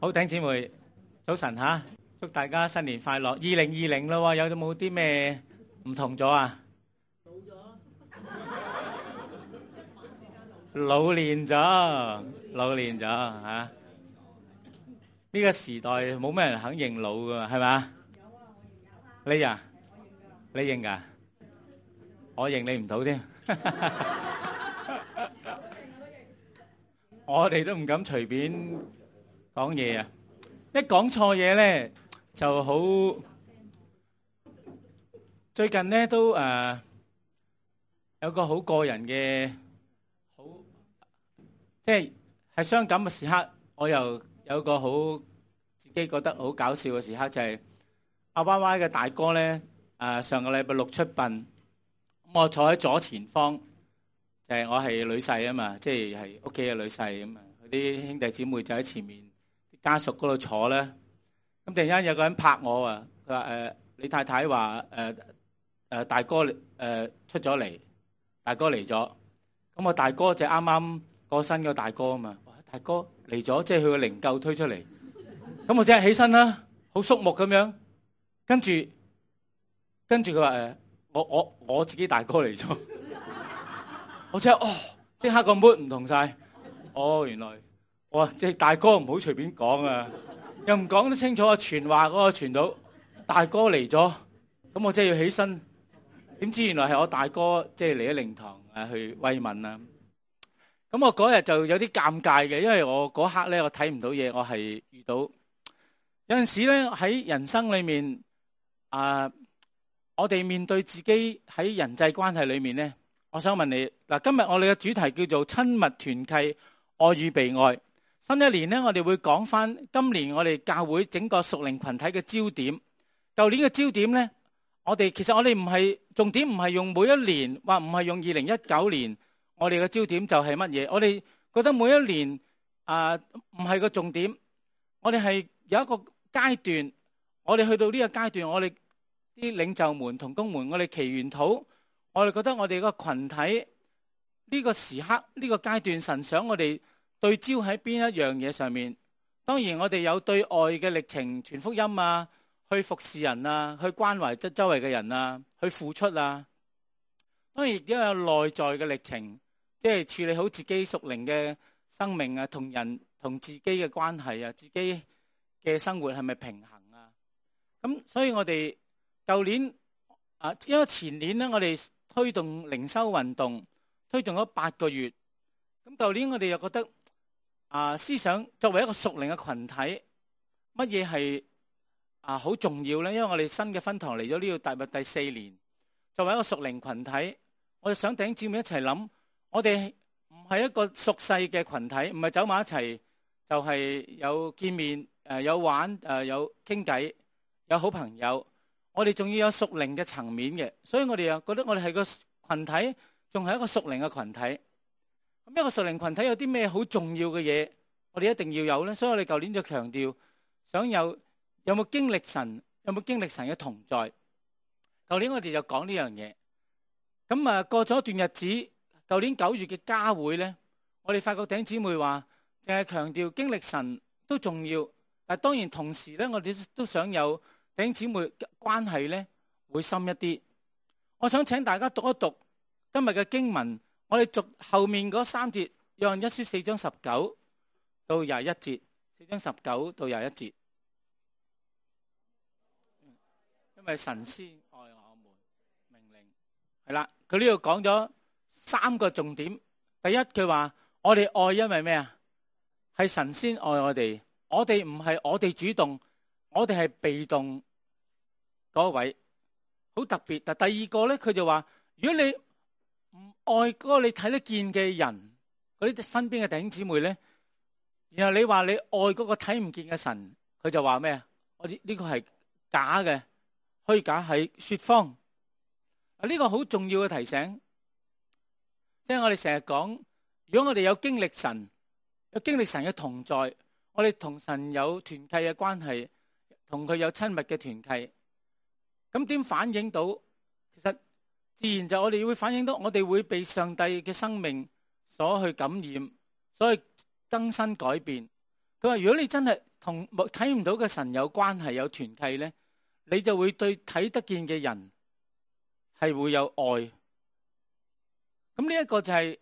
好，弟兄姊妹，早晨吓，祝大家新年快樂。2020啦，有冇啲咩唔同咗啊？老練咗吓。呢個時代冇咩人肯認老噶，係咪？你啊，你認噶？我認你唔到添。我哋都唔敢隨便講嘢啊！一講錯嘢咧就好。最近咧都有個好個人嘅好，即係傷感嘅時刻。我又有個好自己覺得好搞笑嘅時刻，就係阿 Y Y 嘅大哥咧上個禮拜六出殯，咁我坐喺左前方，就係我係女婿啊嘛，即係屋企嘅女婿咁啊。啲兄弟姊妹就喺前面，啲家屬嗰度坐咧。咁突然間有個人拍我啊，佢話你太太話大哥出咗嚟，大哥嚟咗。咁我大哥就啱啱過身個大哥啊嘛，大哥嚟咗，即係佢個靈柩推出嚟。咁我即係起身啦，好肅穆咁樣。跟住佢話我自己大哥嚟咗。我即係即刻個 mood 唔同晒。原來即係大哥唔好隨便講啊，又唔講得清楚啊，傳話嗰個傳到大哥嚟咗，咁我真係要起身。點知原來係我大哥即係嚟咗靈堂去慰問啊。咁我嗰日就有啲尷尬嘅，因為我嗰刻咧我睇唔到嘢，我係遇到有陣時咧喺人生裏面我哋面對自己喺人際關係裏面咧，我想問你嗱，今日我哋嘅主題叫做親密團契，愛與被愛。新一年呢，我哋會講翻今年我哋教會整個屬靈群體嘅焦點。舊年嘅焦點呢，其實我哋唔係重點，唔係用每一年，或唔係用2019年，我哋嘅焦點就係乜嘢？我哋覺得每一年唔係個重點，我哋係有一個階段，我哋去到呢個階段，我哋啲領袖們同工們，我哋祈完禱，我哋覺得我哋個群體呢個時刻呢個階段，神想我哋對焦喺邊一樣嘢上面。當然我哋有對外嘅歷程，傳福音啊，去服侍人啊，去關懷周圍嘅人啊，去付出啊。當然亦都有內在嘅歷程，即係處理好自己屬靈嘅生命啊，同人同自己嘅關係啊，自己嘅生活係咪平衡啊。咁所以我哋舊年因為前年呢，我哋推動靈修運動推動咗8個月。咁舊年我哋又覺得思想作為一個屬靈嘅群體，乜嘢係好重要呢？因為我哋新嘅分堂嚟咗呢度踏入第4年，作為一個屬靈群體，我哋想弟兄姊妹一齊諗，我哋唔係一個俗世嘅群體，唔係走埋一齊就係有見面有玩有傾偈有好朋友，我哋仲要有屬靈嘅層面嘅。所以我哋又覺得我哋係個群體，仲係一個屬靈嘅群體。咁一個屬靈群體有啲咩好重要嘅嘢，我哋一定要有呢？所以我哋舊年就強調，想有冇經歷神，有冇經歷神嘅同在。舊年我哋就講呢樣嘢。咁過咗一段日子，舊年9月嘅家會呢，我哋發覺弟兄姊妹話，淨係強調經歷神都重要，但當然同時呢，我哋都想有弟兄姊妹關係呢會深一啲。我想請大家讀一讀今日嘅經文。我哋讀後面嗰3節，約翰一書4章19到21節，4章19到21節。因為神先愛我們，命令係啦。佢呢度講咗3個重點。第一，佢話我哋愛，因為咩啊？係神先愛我哋。我哋唔係我哋主動，我哋係被動嗰位，好特別。但第二個咧，佢就話如果你唔愛嗰個你睇得見嘅人，嗰啲身邊嘅弟兄姊妹咧，然後你話你愛嗰個睇唔見嘅神，佢就話咩啊？我呢個係假嘅，虛假，係說謊。呢個好重要嘅提醒，即係我哋成日講，如果我哋有經歷神，有經歷神嘅同在，我哋同神有團契嘅關係，同佢有親密嘅團契，咁點反映到？其實自然就我哋會反映到，我哋會被上帝嘅生命所去感染，所以更新改變。佢話如果你真係同睇唔到嘅神有關係、有團契咧，你就會對睇得見嘅人係會有愛。咁呢一個就係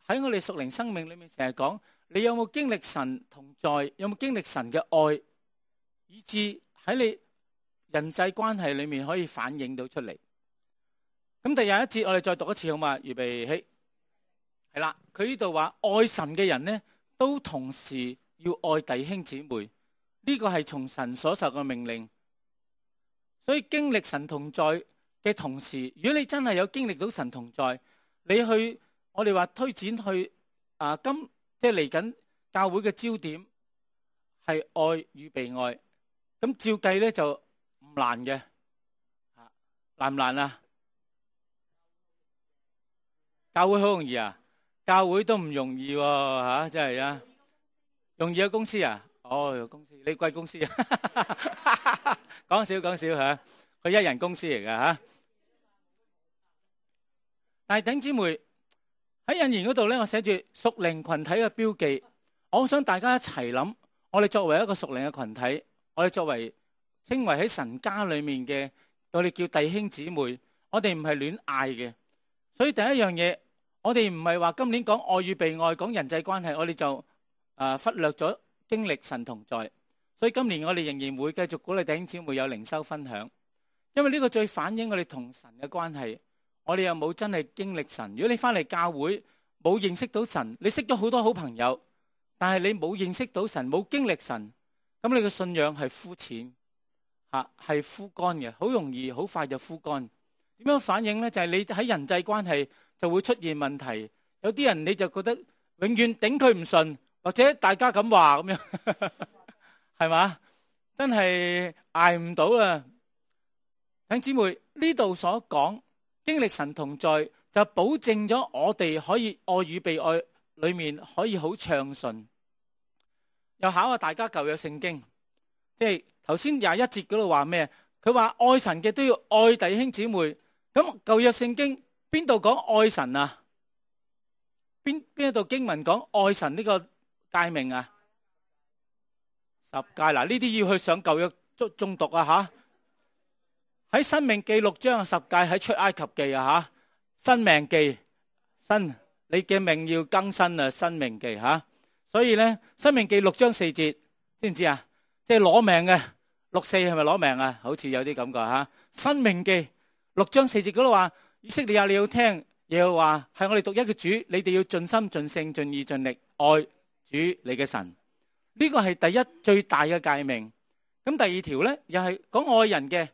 喺我哋屬靈生命裏面成日講，你有冇經歷神同在，有冇經歷神嘅愛，以致喺你人際關係裏面可以反映到出嚟。咁第廿一節我哋再讀一次好嘛？預備起，係啦。佢呢度話愛神嘅人呢，都同時要愛弟兄姊妹，呢個係從神所受嘅命令。所以經歷神同在嘅同時，如果你真係有經歷到神同在，你去我哋話推展去即係嚟緊教會嘅焦點係愛與被愛，咁照計咧就唔難嘅，難唔難啊？教會好容易啊？教會都唔容易喎，真係啊！容易有公司啊？哦，有公司，你貴公司啊？講笑吓，佢一人公司嚟㗎吓。但係弟兄姊妹喺引言嗰度咧，我寫住屬靈群體嘅標記。我想大家一齊諗，我哋作為一個屬靈嘅群體，我哋作為稱為喺神家裏面嘅，我哋叫弟兄姊妹，我哋唔係亂嗌嘅。所以第一樣嘢，我哋唔係話今年講愛與被愛，講人際關係，我哋就忽略咗經歷神同在。所以今年我哋仍然會繼續鼓勵弟兄姊妹有靈修分享，因為呢個最反映我哋同神嘅關係。我哋又冇真係經歷神。如果你翻嚟教會冇認識到神，你識咗好多好朋友，但係你冇認識到神，冇經歷神，咁你嘅信仰係膚淺係枯乾嘅，好容易好快就枯乾。點樣反應呢？就係你喺人際關係就會出現問題。有啲人你就覺得永遠頂佢唔順，或者大家咁話咁樣，係嘛？真係捱唔到啊！弟兄姊妹，呢度所講經歷神同在，就保證咗我哋可以愛與被愛裏面可以好暢順。又考下大家舊約聖經，即係頭先21節嗰度話咩？佢話愛神嘅都要愛弟兄姊妹。咁舊約聖經邊度講愛神啊？邊一度經文講愛神呢個誡命啊？10誡嗱，呢啲要去上舊約中讀啊吓。喺申命記6章10誡，喺出埃及記啊吓，申命記你嘅命要更新啊，申命記吓。所以咧，申命記6章4節，知唔知啊？即係攞命嘅6:4係咪攞命啊？好似有啲感覺吓。申命記6章4節嗰度話，以色列啊，你要聽耶和華係我哋獨一嘅主，你哋要盡心盡性盡意盡力愛主你嘅神。呢個係第一最大嘅誡命。咁第二條咧，又係講愛人嘅，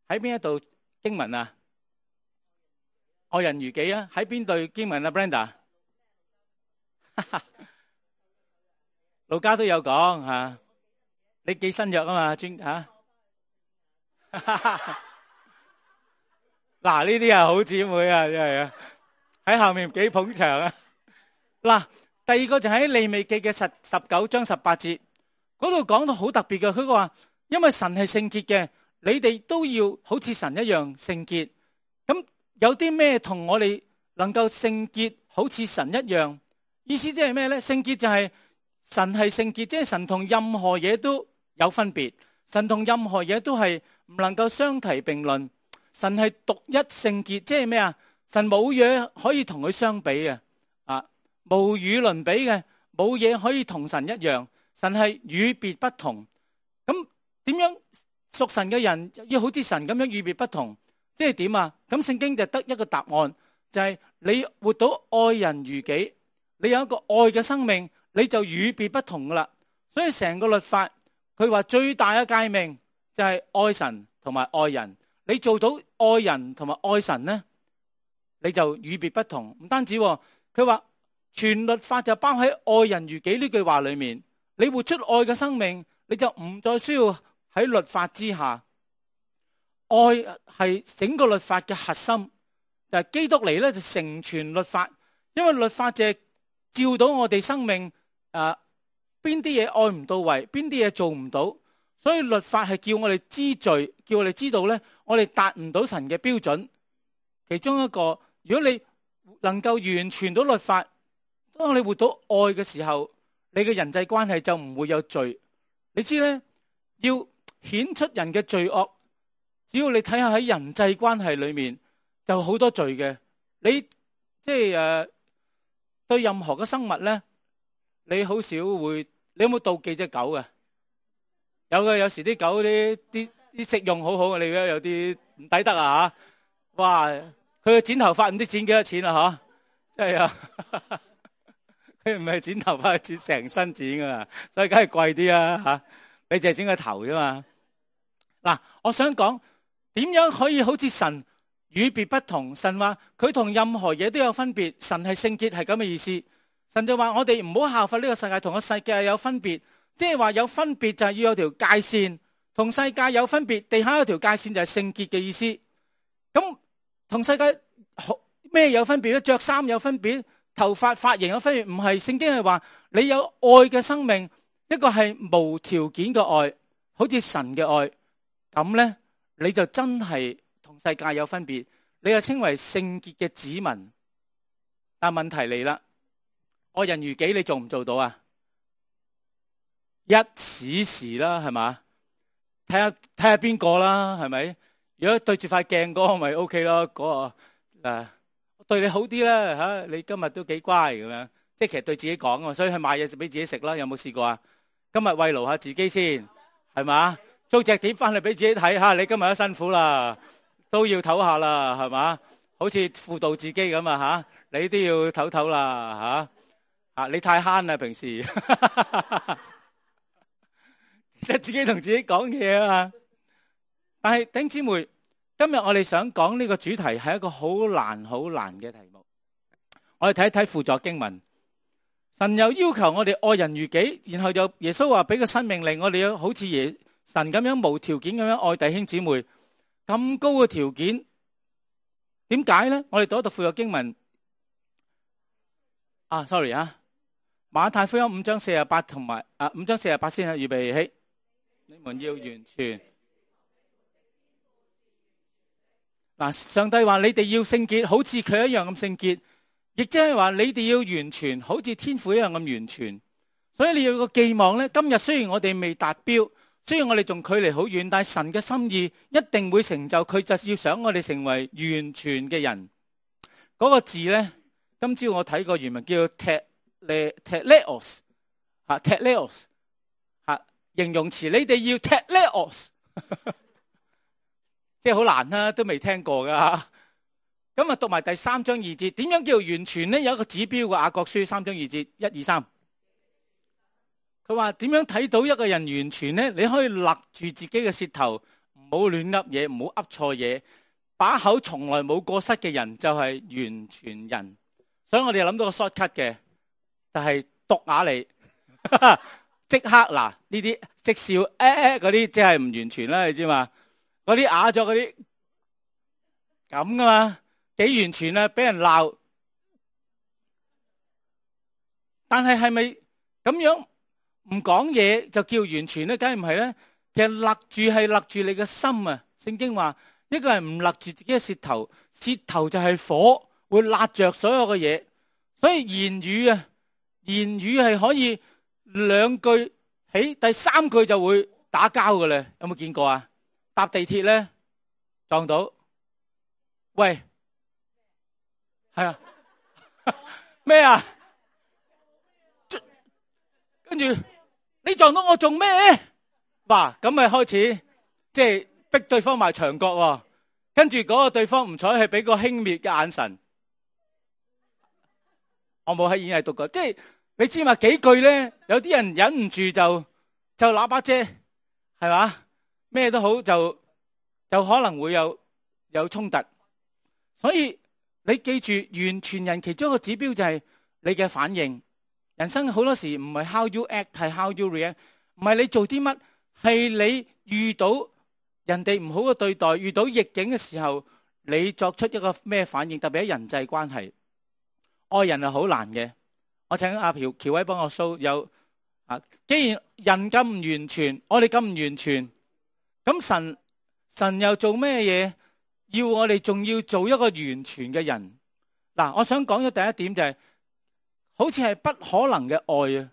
喺邊一度經文啊？愛人如己啊？喺邊度經文啊 ？Brenda， 路加都有講吓，你記新約啊嘛？專吓。嗱，呢啲啊好姊妹啊，真係啊，喺後面幾捧場啊。嗱，第二個就喺利未記嘅19章18節嗰度講到好特別嘅，佢話因為神係聖潔嘅，你哋都要好似神一樣聖潔。咁有啲咩同我哋能夠聖潔好似神一樣？意思即係咩咧？聖潔就係神係聖潔，即係神同任何嘢都有分別，神同任何嘢都係唔能夠相提並論。神係獨一聖潔，即係咩啊？神冇嘢可以同佢相比嘅，無與倫比嘅，冇嘢可以同神一樣。神係與別不同。咁點樣屬神嘅人要好似神咁樣與別不同？即係點啊？咁聖經就得一個答案，就係你活到愛人如己，你有一個愛嘅生命，你就與別不同噶啦。所以成個律法，佢話最大嘅誡命就係愛神同埋愛人。你做到愛人同埋愛神呢，你就與別不同。唔單止，佢話全律法就包喺愛人如己呢句話裏面。你活出愛嘅生命，你就唔再需要喺律法之下。愛係整個律法嘅核心，就係基督嚟咧就成全律法。因為律法就係照到我哋生命邊啲嘢愛唔到位，邊啲嘢做唔到。所以律法係叫我哋知罪，叫我哋知道咧，我哋達唔到神嘅標準。其中一個，如果你能夠完全到律法，當你活到愛嘅時候，你嘅人際關係就唔會有罪。你知咧，要顯出人嘅罪惡，只要你睇下喺人際關係裏面就好多罪嘅。你即係對任何嘅生物咧，你好少會，你有冇妒忌隻狗嘅？有嘅，有時啲狗啲食用好好嘅，你覺得有啲唔抵得啊吓！哇，佢剪頭髮唔知剪幾多錢啊吓，真係啊！佢唔係剪頭髮，剪成身剪噶，所以梗係貴啲啊吓！你淨係剪個頭啫嘛。嗱，我想講點樣可以好似神與別不同？神話佢同任何嘢都有分別，神係聖潔，係咁嘅意思。神就話我哋唔好效法呢個世界，同個世界有分別，即係話有分別就係要有條界線，同世界有分別，地下有條界線就係聖潔嘅意思。咁同世界咩有分別咧？着衫有分別，頭髮髮型有分別，唔係。聖經係話你有愛嘅生命，一個係無條件嘅愛，好似神嘅愛，咁咧你就真係同世界有分別，你就稱為聖潔嘅子民。但問題嚟啦，愛人如己，你做唔做到啊？一時時啦，係嘛？睇下邊個啦，係咪？如果對住塊鏡嗰個咪 OK 咯，嗰個對你好啲啦吓，你今日都幾乖咁樣，即係其實對自己講啊，所以去買嘢食俾自己食啦。有冇試過啊？今日慰勞下自己先，係嘛？租隻碟翻嚟俾自己睇吓，你今日都辛苦啦，都要唞下啦，係嘛？好似輔導自己咁啊吓，你都要唞唞啦吓。你太慳啦平時，即係自己同自己講嘢啊嘛。但係弟兄姊妹，今日我哋想講呢個主題係一個好難嘅題目。我哋睇一睇輔助經文，神又要求我哋愛人如己，然後又耶穌話俾個新命令，我哋要好似神咁樣無條件咁樣愛弟兄姊妹。咁高嘅條件，點解呢？我哋讀一讀輔助經文。sorry 馬太福音5章48同埋5章48先預備起。你們要完全。上帝話你哋要聖潔，好似佢一樣咁聖潔，亦即係話你哋要完全，好似天父一樣咁完全。所以你要個寄望呢，今日雖然我哋未達標，雖然我哋仲距離好遠，但係神嘅心意一定會成就，佢就是要想我哋成為完全嘅人。嗰個字呢，今朝我睇過原文叫 teleos teleos 形容詞，你哋要 teleos 即係好難啦，都未聽過噶。咁讀埋第3章2節，點樣叫完全呢？有一個指標嘅，雅各書3章2節1、2、3。佢話點樣睇到一個人完全呢？你可以勒住自己嘅舌頭，唔好亂噏嘢，唔好噏錯嘢，把口從來冇過失嘅人就係完全人。所以我哋諗到個 shortcut 嘅，就係讀雅嚟，即刻嗱呢啲即笑嗰啲，即係唔完全啦，你知嘛？嗰啲啞咗嗰啲咁噶嘛，幾完全啊？俾人鬧，但係係咪咁樣唔講嘢就叫完全咧？梗係唔係咧。其實勒住係勒住你嘅心啊。聖經話一個人唔勒住自己嘅舌頭，舌頭就係火，會辣着所有嘅嘢。所以言語係可以2句起，第3句就會打交嘅咧。有冇見過啊？搭地鐵咧撞到，喂，係啊，咩啊？跟住你撞到我做咩？哇，咁咪開始即係逼對方埋牆角喎。跟住嗰個對方唔睬，係俾個輕蔑嘅眼神。我冇喺演藝讀過，即係你知嘛？幾句咧，有啲人忍唔住就喇叭姐，係嘛？咩都好就可能會有衝突。所以你記住，完全人其中一個指標就係你嘅反應。人生好多時唔係 how you act， 係 how you react。唔係你做啲乜，係你遇到人哋唔好嘅對待，遇到逆境嘅時候，你作出一個咩反應？特別喺人際關係，愛人係好難嘅。我請阿喬威幫我 show 有既然人咁唔完全，我哋咁唔完全。咁神又做咩嘢？要我哋仲要做一個完全嘅人。嗱，我想講嘅第一點就係，好似係不可能嘅愛啊，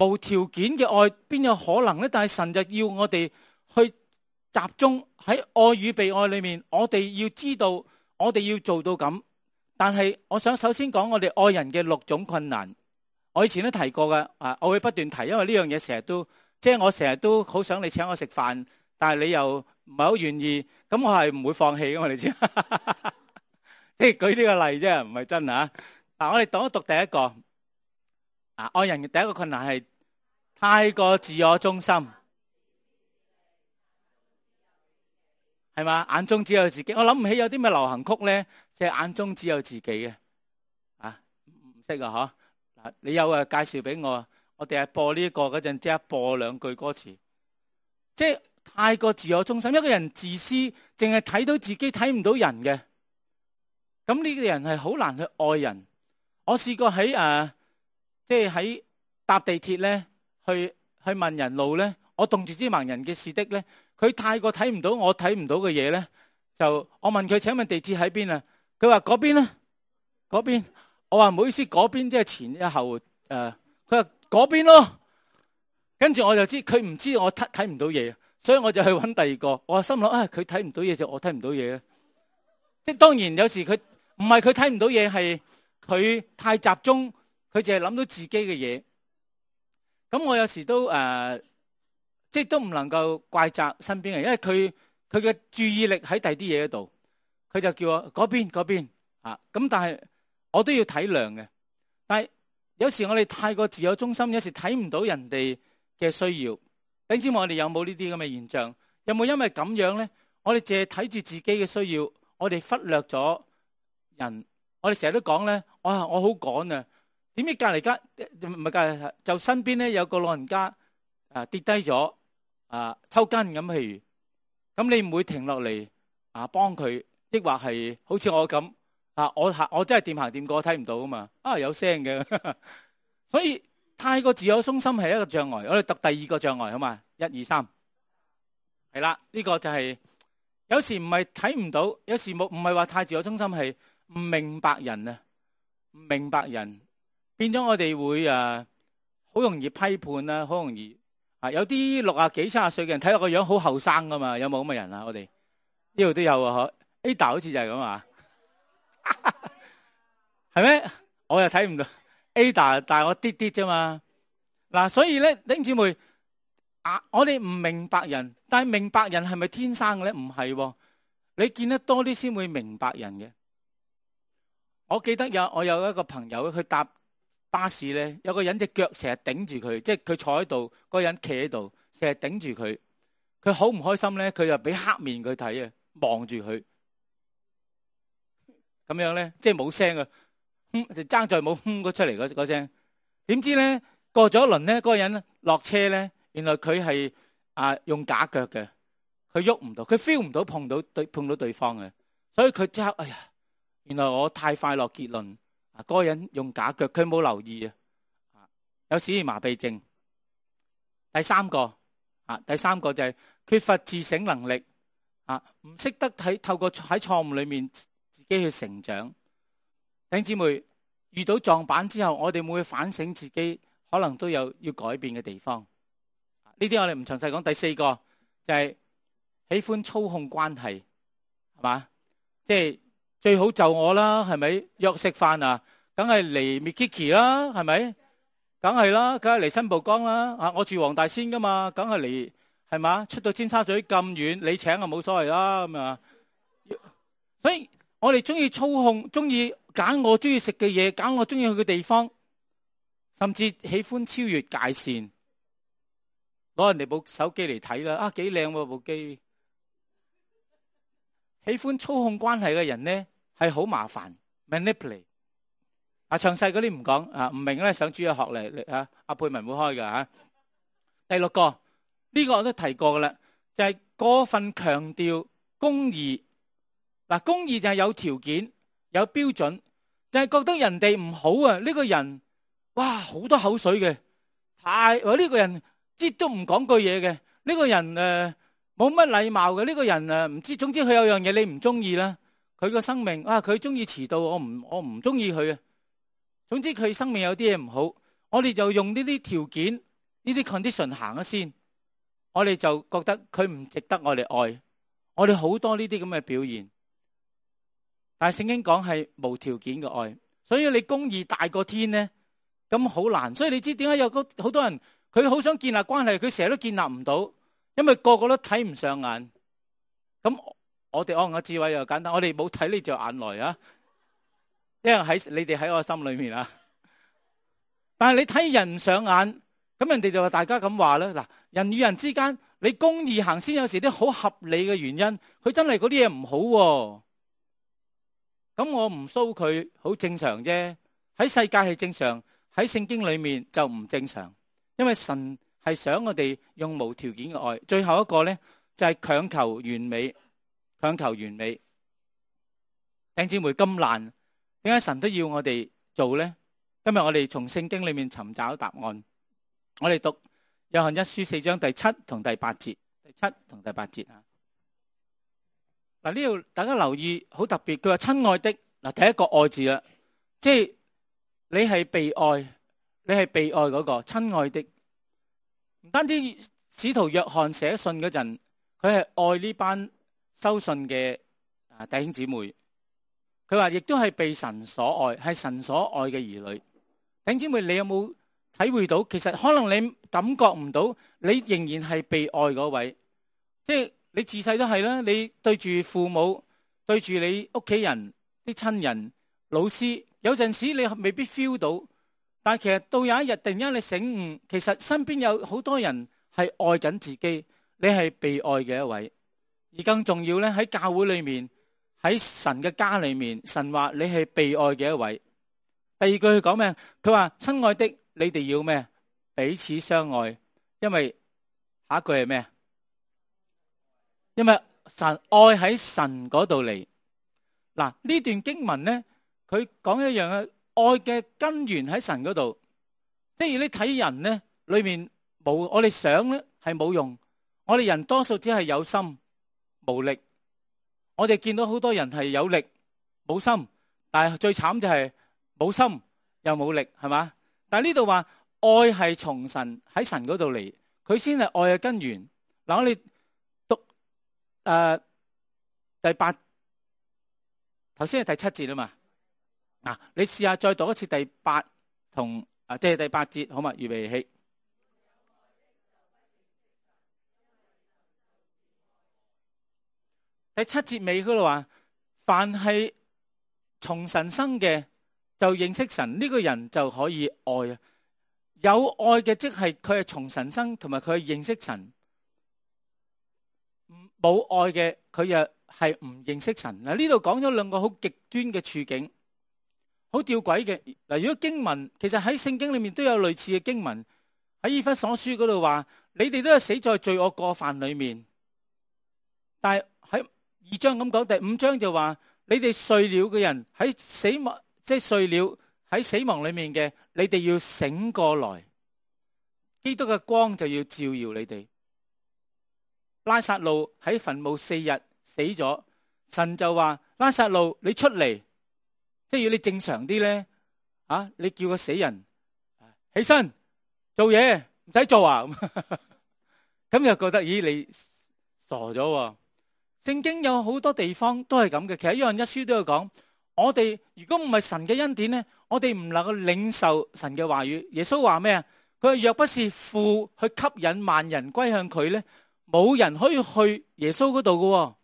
無條件嘅愛邊有可能呢？但係神就要我哋去集中喺愛與被愛裏面，我哋要知道，我哋要做到咁。但係我想首先講我哋愛人嘅6種困難。我以前都提過嘅，我會不斷提，因為呢樣嘢成日都，即係我成日都好想你請我食飯，但係你又唔係好願意，咁我係唔會放棄嘅，我哋知。即係舉呢個例啫，唔係真吓。嗱，我哋讀一讀第一個。愛人嘅第一個困難係太過自我中心，係嘛？眼中只有自己。我諗唔起有啲咩流行曲咧，即係眼中只有自己嘅。唔識啊，嗬？你有介紹俾我，我哋係播呢個嗰陣，即刻播2句歌詞。即係太過自我中心，一個人自私，淨係睇到自己，睇唔到人嘅。咁呢個人係好難去愛人。我試過喺即係喺搭地鐵咧，去問人路咧，我動住支盲人嘅士的咧，佢太過睇唔到我睇唔到嘅嘢咧，就我問佢，請問地鐵喺邊啊？佢話嗰邊啦，嗰邊。我話唔好意思，嗰邊即係前一後佢話嗰邊咯。跟住我就知佢唔知我睇唔到嘢，所以我就去揾第二個。我心諗佢睇唔到嘢就我睇唔到嘢。即係當然有時佢唔係佢睇唔到嘢，係佢太集中。佢淨係諗到自己嘅嘢，咁我有時都即係都唔能夠怪責身邊人，因為佢嘅注意力喺第啲嘢度，佢就叫我嗰邊咁，但係我都要體諒嘅。但係有時我哋太過自我中心，有時睇唔到人哋嘅需要。你知我哋有冇呢啲咁嘅現象？有冇因為咁樣咧？我哋淨係睇住自己嘅需要，我哋忽略咗人。我哋成日都講咧，我好趕啊！點知隔籬唔係隔籬，就身邊咧有個老人家跌低咗抽筋咁，譬如咁，你唔會停落嚟幫佢，抑或係好似我咁我真係掂行掂過睇唔到啊嘛，有聲嘅。所以太過自我中心係一個障礙。我哋讀第二個障礙好嘛？1、2、3係啦，呢個就係有時唔係睇唔到，有時唔係話太自我中心，係唔明白人啊，唔明白人。變咗我哋會好容易批判啦，好容易有啲60幾70歲嘅人睇落個樣好後生噶嘛，有冇咁嘅人啊？我哋呢度都有啊，Ada 好似就係咁啊，係咩？我又睇唔到 Ada， 但係我啲啫嘛。嗱，所以咧，弟兄姊妹我哋唔明白人，但係明白人係咪天生嘅咧？唔係，你見得多啲先會明白人嘅。我記得我有一個朋友，佢搭巴士咧，有個人隻腳成日頂住佢，即係佢坐喺度，嗰個人企喺度，成日頂住佢。佢好唔開心咧，佢就俾黑面佢睇啊，望住佢咁樣咧，即係冇聲啊，就爭在冇嗰出嚟嗰聲。點知咧過咗一輪咧，嗰個人落車咧，原來佢係用假腳嘅，佢喐唔到，佢 feel 唔到碰到對方嘅，所以佢即刻哎呀，原來我太快落結論。嗰個人用假腳，佢冇留意有使然麻痹症。第三個就係缺乏自省能力唔識得透過喺錯誤裏面自己去成長。弟兄姊妹，遇到撞板之後，我哋會唔會反省自己，可能都有要改變嘅地方。呢啲我哋唔詳細講。第4個就係喜歡操控關係，係嘛？即係最好就我啦，係咪？約食飯梗係嚟 Mikiki 啦，係咪？梗係啦，梗係嚟新蒲崗啦。我住黃大仙噶嘛，梗係嚟，係嘛？出到尖沙咀咁遠，你請冇所謂啦咁啊。所以我哋中意操控，中意揀我中意食嘅嘢，揀我中意去嘅地方，甚至喜歡超越界線，攞人哋部手機嚟睇啦，幾靚喎部機。喜歡操控關係嘅人呢，係好麻煩 ，manipulate。詳細嗰啲唔講，唔明咧上主日學嚟阿佩文會開㗎。第6個呢個我都提過噶啦，就係過分強調公義。公義就係有條件、有標準，就係覺得人哋唔好啊。呢個人哇好多口水嘅，呢個人即都唔講句嘢嘅，呢個人冇乜禮貌嘅，呢個人唔知，總之佢有樣嘢你唔中意啦。佢個生命佢中意遲到，我唔中意佢啊。總之佢生命有啲嘢唔好，我哋就用呢啲條件呢啲 condition 行咗先，我哋就覺得佢唔值得我哋愛。我哋好多呢啲咁嘅表現，但係聖經講係無條件嘅愛，所以你公義大過天呢，咁好難。所以你知點解有好多人佢好想建立關係，佢成日都建立唔到，因為個個都睇唔上眼。咁我哋安嘅智慧又簡單，我哋冇睇呢隻眼來啊，因為你哋喺我心裏面啊。但係你睇人唔上眼，咁人哋就話大家咁話啦。嗱，人與人之間，你公義行先，有時啲好合理嘅原因，佢真係嗰啲嘢唔好，咁我唔騷佢，好正常啫。喺世界係正常，喺聖經裏面就唔正常，因為神係想我哋用無條件嘅愛。最後一個呢，就係強求完美，強求完美。弟兄姊妹，咁難，點解神都要我哋做呢？今日我哋從聖經裏面尋找答案。我哋讀約翰一書4章第7同第8節，第7同第8節啊。嗱，呢度大家留意好特別，佢話親愛的，嗱，第一個愛字啦，即係你係被愛，你係被愛嗰個親愛的。唔單止使徒約翰寫信嗰陣，佢係愛呢班收信嘅弟兄姊妹。佢話亦都係被神所愛，係神所愛嘅兒女。弟兄姊妹，你有冇體會到？其實可能你感覺唔到，你仍然係被愛嗰位。即係你自細都係啦，你對住父母，對住你屋企人、啲親人、老師，有陣時你未必 feel 到，但係其實到有一日突然間你醒悟，其實身邊有好多人係愛緊自己，你係被愛嘅一位。而更重要咧，喺教會裏面，喺神嘅家裏面，神話你係被愛嘅一位。第二句佢講咩？佢話親愛的，你哋要咩？彼此相愛。因為下一句係咩？因為神愛喺神嗰度嚟。嗱，呢段經文咧，佢講一樣嘅愛嘅根源喺神嗰度。即係你睇人咧，裏面冇，我哋想咧係冇用。我哋人多數只係有心無力。我哋見到好多人係有力冇心，但係最慘就係冇心又冇力，係嘛？但係呢度話愛係從神喺神嗰度嚟，佢先係愛嘅根源。嗱，我哋讀第8，頭先係第7節啊嘛。嗱，你試下再讀一次第8同即係第8節，好嘛？預備起。第7節尾嗰度話，凡係從神生嘅就認識神，呢個人就可以愛啊。有愛嘅即係佢係從神生，同埋佢係認識神。冇愛嘅佢又係唔認識神。嗱，呢度講咗兩個好極端嘅處境，好吊詭嘅。嗱，如果經文其實喺聖經裏面都有類似嘅經文，喺以弗所書嗰度話，你哋都係死在罪惡過犯裏面。但係喺2章咁講，第5章就話你哋睡了嘅人喺死亡，即係睡了喺死亡裏面嘅，你哋要醒過來，基督嘅光就要照耀你哋。拉撒路喺墳墓4日死咗，神就話拉撒路你出嚟，即係要你正常啲咧，你叫個死人起身做嘢，唔使做啊，咁又覺得咦你傻咗。聖經有好多地方都係咁嘅，其實約翰一書都有講，我哋如果唔係神嘅恩典咧，我哋唔能夠領受神嘅話語。耶穌話咩啊？佢話若不是父去吸引萬人歸向佢咧，冇人可以去耶穌嗰度嘅。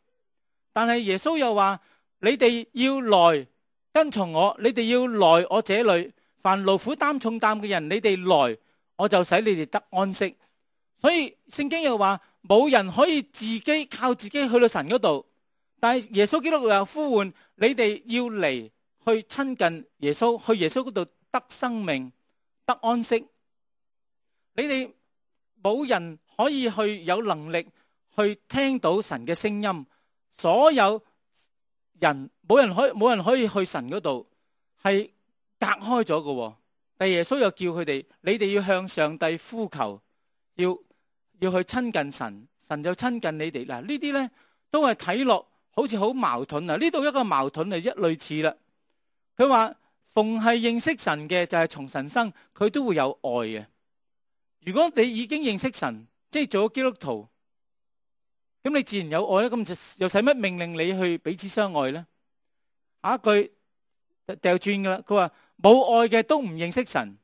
但係耶穌又話，你哋要來跟從我，你哋要來我這裏，凡勞苦擔重擔嘅人，你哋來，我就使你哋得安息。所以聖經又話，冇人可以自己靠自己去到神嗰度，但係耶穌基督又呼喚你哋要嚟去親近耶穌，去耶穌嗰度得生命得安息。你哋冇人可以去有能力去聽到神嘅聲音，所有人冇人可以去神嗰度，係隔開咗嘅。但耶穌又叫佢哋，你哋要向上帝呼求，要去親近神，神就親近你哋。嗱，呢啲咧都係睇落好似好矛盾啊！呢度一個矛盾係一類似啦。佢話逢係認識神嘅就係從神生，佢都會有愛嘅。如果你已經認識神，即係做咗基督徒，咁你自然有愛啦。咁就又使乜命令你去彼此相愛咧？下一句掉轉噶啦，佢話冇愛嘅都唔認識神，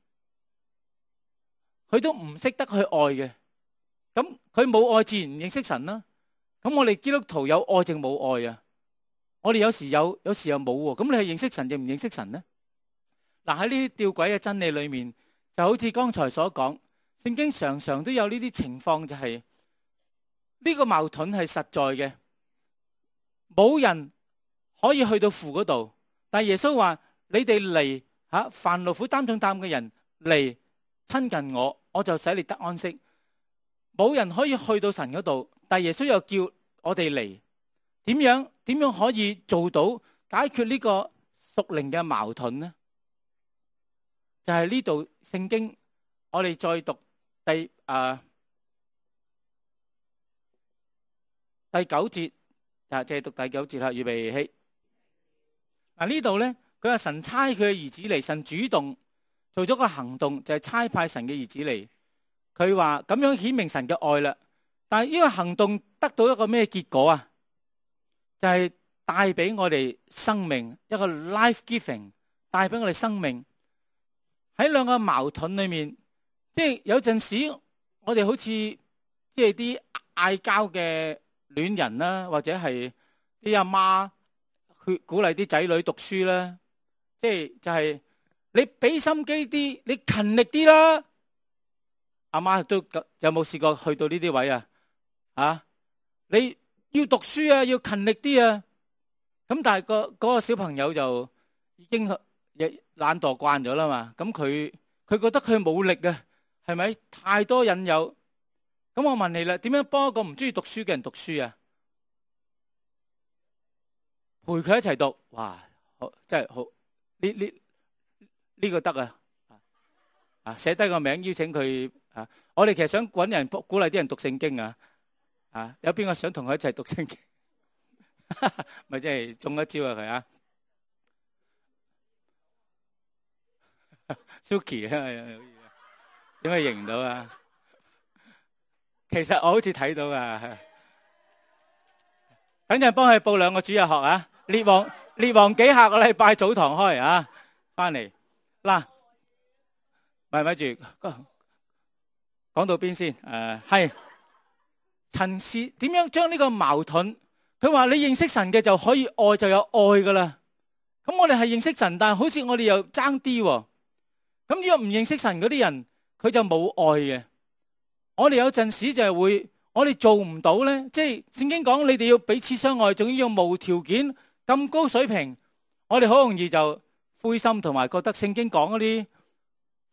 佢都唔識得去愛嘅。咁佢冇愛，自然唔認識神啦。咁我哋基督徒有愛定冇愛啊？我哋有時有，有時又冇喎。咁你係認識神定唔認識神呢？嗱，喺呢啲吊詭嘅真理裏面，就好似剛才所講，聖經常常都有呢啲情況，就係呢個矛盾係實在嘅，冇人可以去到父嗰度。但係耶穌話：你哋嚟凡勞苦擔重擔嘅人嚟親近我，我就使你得安息。冇人可以去到神嗰度，但係耶穌又叫我哋嚟。點樣可以做到解決呢個屬靈嘅矛盾呢？就係呢度聖經，我哋再讀第9節，就係讀第9節啦。預備起。呢度咧，佢話神差佢嘅兒子嚟，神主動做咗個行動，就係差派神嘅兒子嚟。佢話咁樣顯明神嘅愛啦。但係呢個行動得到一個咩結果啊？就係帶俾我哋生命，一個 life giving， 帶俾我哋生命。喺兩個矛盾裏面，即係有陣時我哋好似即係啲嗌交嘅戀人啦，或者係啲阿媽去鼓勵啲仔女讀書啦，即係就係你俾心機啲，你勤力啲啦。阿媽都有冇試過去到呢啲位啊？你要讀書啊，要勤力啲啊。咁但係嗰個小朋友就已經懶惰慣咗啦嘛。咁佢覺得佢冇力啊，係咪？太多引誘。咁我問你啦，點樣幫一個唔中意讀書嘅人讀書啊？陪佢一齊讀，哇，好，真係好。呢個得啊！寫低個名，邀請佢啊。我哋其實想搵人鼓勵啲人讀聖經啊。有邊個想同佢一齊讀聖經？咪即係中一招啊佢啊 ！Suki 啊，點解認唔到啊？其實我好似睇到啊。等陣幫佢報2個主日學啊。列王紀下個禮拜早堂開啊，翻嚟嗱，咪住講到邊先？係陳氏點樣將呢個矛盾？佢話你認識神嘅就可以愛，就有愛噶啦。咁我哋係認識神，但係好似我哋又爭啲。咁如果唔認識神嗰啲人，佢就冇愛嘅。我哋有陣時就係會，我哋做唔到咧。即係聖經講，你哋要彼此相愛，仲要用無條件咁高水平。我哋好容易就灰心，同埋覺得聖經講嗰啲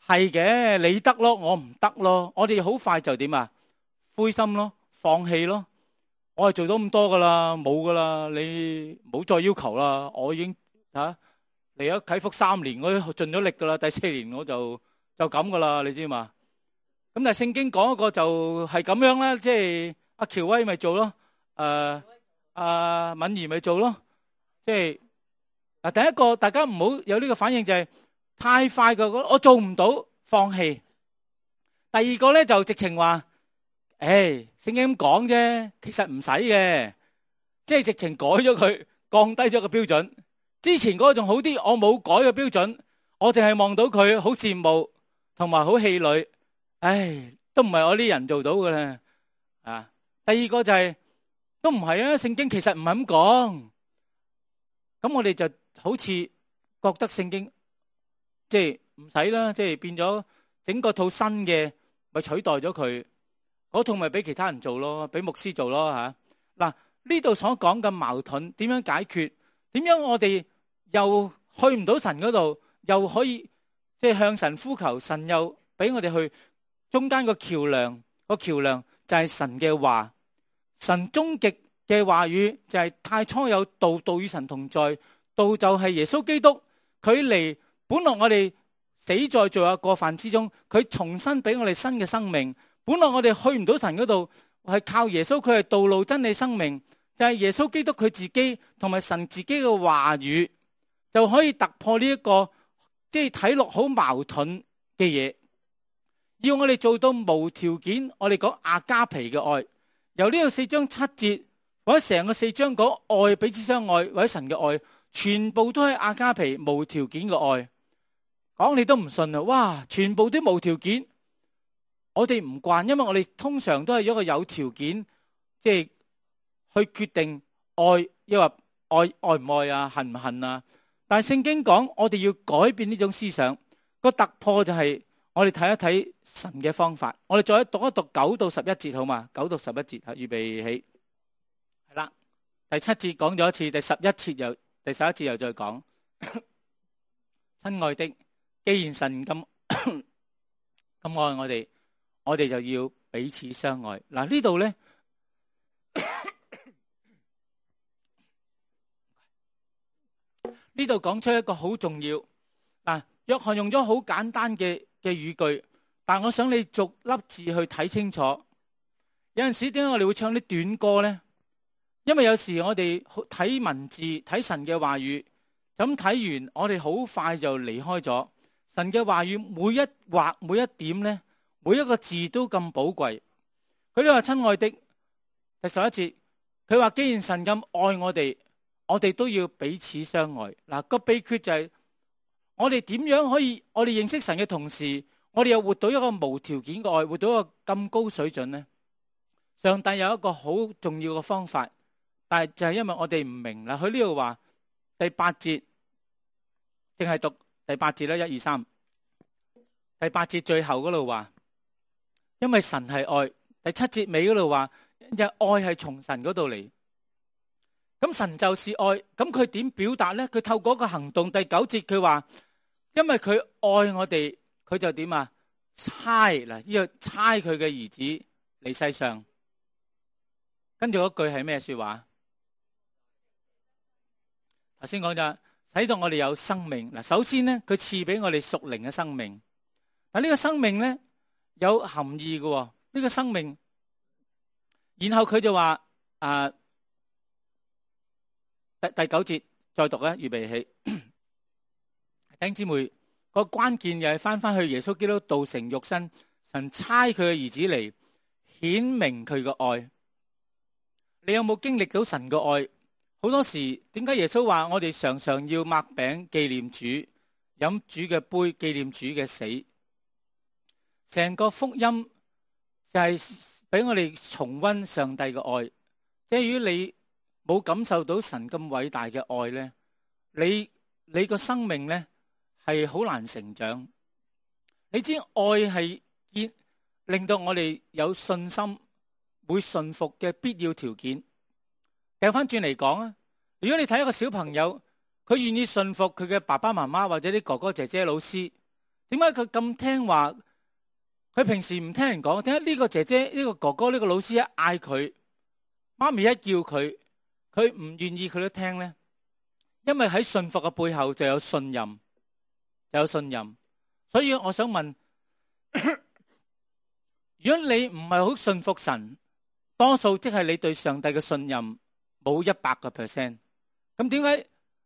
係嘅，你得咯，我唔得咯。我哋好快就點啊？灰心咯，放棄咯。我係做到咁多噶啦，冇噶啦，你唔好再要求啦。我已經嚟咗啟福3年，我都盡咗力噶啦。第4年我就咁噶啦，你知嘛？咁但係聖經講一個就係咁樣啦，即係阿喬威咪做咯，阿敏儀咪做咯。即係第一個大家唔好有呢個反應，就係太快嘅，我做唔到，放棄。第二個咧就直情話，聖經咁講啫，其實唔使嘅，即係直情改咗佢，降低咗個標準。之前嗰個仲好啲，我冇改個標準，我淨係望到佢好羨慕，同埋好氣餒。都唔係我啲人做到嘅啦。第二個就係都唔係啊，聖經其實唔係咁講。咁我哋就好似覺得聖經即係唔使啦，即係變咗整個套新嘅，咪取代咗佢。嗰套咪俾其他人做咯，俾牧師做咯吓。嗱，呢度所講嘅矛盾點樣解決？點樣我哋又去唔到神嗰度，又可以即係向神呼求，神又俾我哋去中間個橋樑，個橋樑就係神嘅話。神終極嘅話語就係太初有道，道與神同在，道就係耶穌基督。佢嚟本來我哋死在罪惡過犯之中，佢重新俾我哋新嘅生命。本來我哋去唔到神嗰度，係靠耶穌，佢係道路真理生命，就係耶穌基督佢自己同埋神自己嘅話語，就可以突破呢一個即係睇落好矛盾嘅嘢。要我哋做到無條件，我哋講阿加皮嘅愛。由呢個4章7節或者成個4章講愛，彼此相愛或者神嘅愛，全部都係阿加皮無條件嘅愛。講你都唔信啊！哇，全部都無條件，我哋唔慣，因為我哋通常都係一個有條件，即係去決定愛，抑或愛唔愛啊，恨唔恨啊。但係聖經講，我哋要改變呢種思想，個突破就係我哋睇一睇神嘅方法。我哋再讀一讀9到11節好嘛？9到11節，預備起，係啦。第7節講咗一次，第11節又再講。親愛的，既然神咁愛我哋就要彼此相愛。嗱，呢度咧，呢度講出一個好重要。嗱，約翰用咗好簡單嘅語句，但我想你逐粒字去睇清楚。有陣時點解我哋會唱啲短歌咧？因為有時我哋睇文字睇神嘅話語，咁睇完我哋好快就離開咗。神嘅話語每一畫每一點咧，每一個字都咁寶貴。佢都話親愛的，第11節，佢話既然神咁愛我哋都要彼此相愛。嗱，個秘訣就係我哋點樣可以，我哋認識神嘅同時，我哋又活到一個無條件嘅愛，活到一個咁高水準呢？上帝有一個好重要嘅方法，但係就係因為我哋唔明啦。佢呢度話第8節，淨係讀第8節啦，1、2、3。第8節最後嗰度話，因為神係愛。第7節尾嗰度話，因為愛係從神嗰度嚟。咁神就是愛，咁佢點表達呢？佢透過一個行動。第9節佢話，因為佢愛我哋，佢就點啊？差嗱，呢個差佢嘅兒子嚟世上。跟住嗰句係咩說話？頭先講咗，使到我哋有生命。嗱，首先呢，佢賜俾我哋屬靈嘅生命。嗱，呢個生命呢，有含義嘅。呢個生命，然後佢就話第9節再讀咧，預備起。弟兄姊妹，個關鍵又係翻去耶穌基督道成肉身，神差佢嘅兒子嚟顯明佢嘅愛。你有冇經歷到神嘅愛？好多時點解耶穌話我哋常常要擘餅紀念主，飲主嘅杯紀念主嘅死？成個福音就係俾我哋重溫上帝嘅愛。即係如果你冇感受到神咁偉大嘅愛呢，你個生命呢係好難成長。你知愛係令到我哋有信心會順服嘅必要條件。掉翻轉嚟講啊，如果你睇一個小朋友，佢願意順服佢嘅爸爸媽媽或者啲哥哥姐姐老師，點解佢咁聽話？佢平時唔聽人講，點解呢個姐姐呢個哥哥呢個老師一嗌佢，媽咪一叫佢，佢唔願意佢都聽呢？因為喺順服嘅背後就有信任，就有信任。所以我想問，如果你唔係好順服神，多數即係你對上帝嘅信任冇100%。咁點解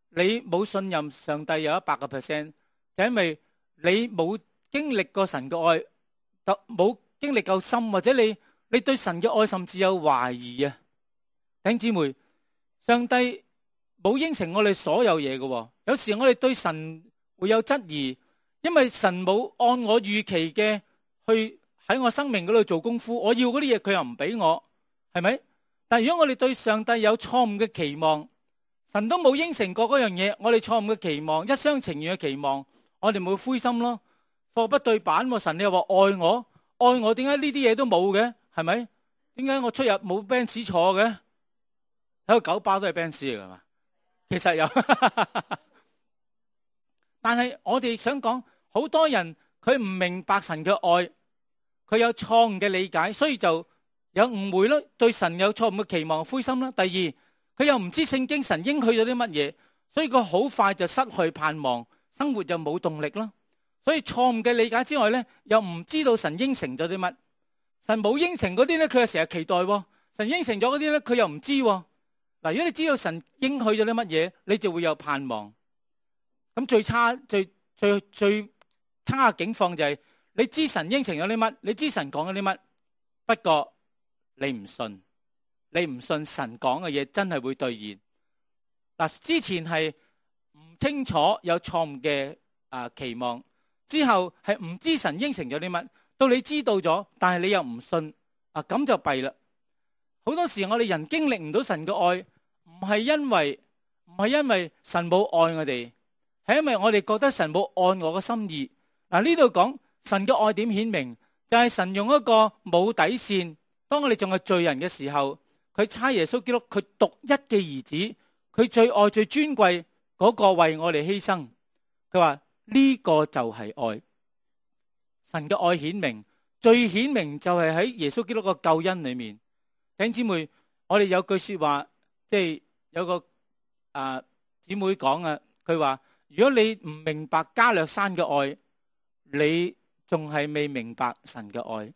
你冇信任上帝有100%？就因為你冇經歷過神嘅愛，冇經歷夠深，或者你對神嘅愛甚至有懷疑啊！弟兄姊妹，上帝冇應承我哋所有嘢嘅。有時我哋對神會有質疑，因為神冇按我預期嘅去喺我生命嗰度做功夫。我要嗰啲嘢，佢又唔俾我，係咪？但係如果我哋對上帝有錯誤嘅期望，神都冇應承過嗰樣嘢，我哋錯誤嘅期望，一廂情願嘅期望，我哋咪會灰心咯。貨不對版，神你又話愛我，點解呢啲嘢都冇嘅？係咪？點解我出入冇 Benz 坐嘅？喺個九巴都係 Benz 嚟噶嘛？其實有，但係我哋想講，好多人佢唔明白神嘅愛，佢有錯誤嘅理解，所以就有誤會咯，對神有錯誤嘅期望，灰心啦。第二，佢又唔知聖經神應許咗啲乜嘢，所以佢好快就失去盼望，生活就冇動力咯。所以錯誤嘅理解之外咧，又唔知道神應承咗啲乜。神冇應承嗰啲咧，佢又成日期待；神應承咗嗰啲咧，佢又唔知。嗱，如果你知道神應許咗啲乜嘢，你就會有盼望。咁最差嘅境況就係你知神應承咗啲乜，你知神講咗啲乜，不過你唔信，你唔信神講嘅嘢真係會兌現。嗱，之前係唔清楚，有錯誤嘅期望，之後係唔知神應承咗啲乜，到你知道咗，但係你又唔信，咁就弊啦。好多時我哋人經歷唔到神嘅愛，唔係因為神冇愛我哋，係因為我哋覺得神冇按我嘅心意。嗱，呢度講神嘅愛點顯明，就係神用一個冇底線，當我哋仲係罪人嘅時候，佢差耶穌基督佢獨一嘅兒子，佢最愛最尊貴嗰個為我哋犧牲。佢話呢個就係愛，神嘅愛顯明，最顯明就係喺耶穌基督個救恩裏面。弟兄姊妹，我哋有句說話，即係有個姊妹講啊，佢話如果你唔明白加略山嘅愛，你仲係未明白神嘅愛。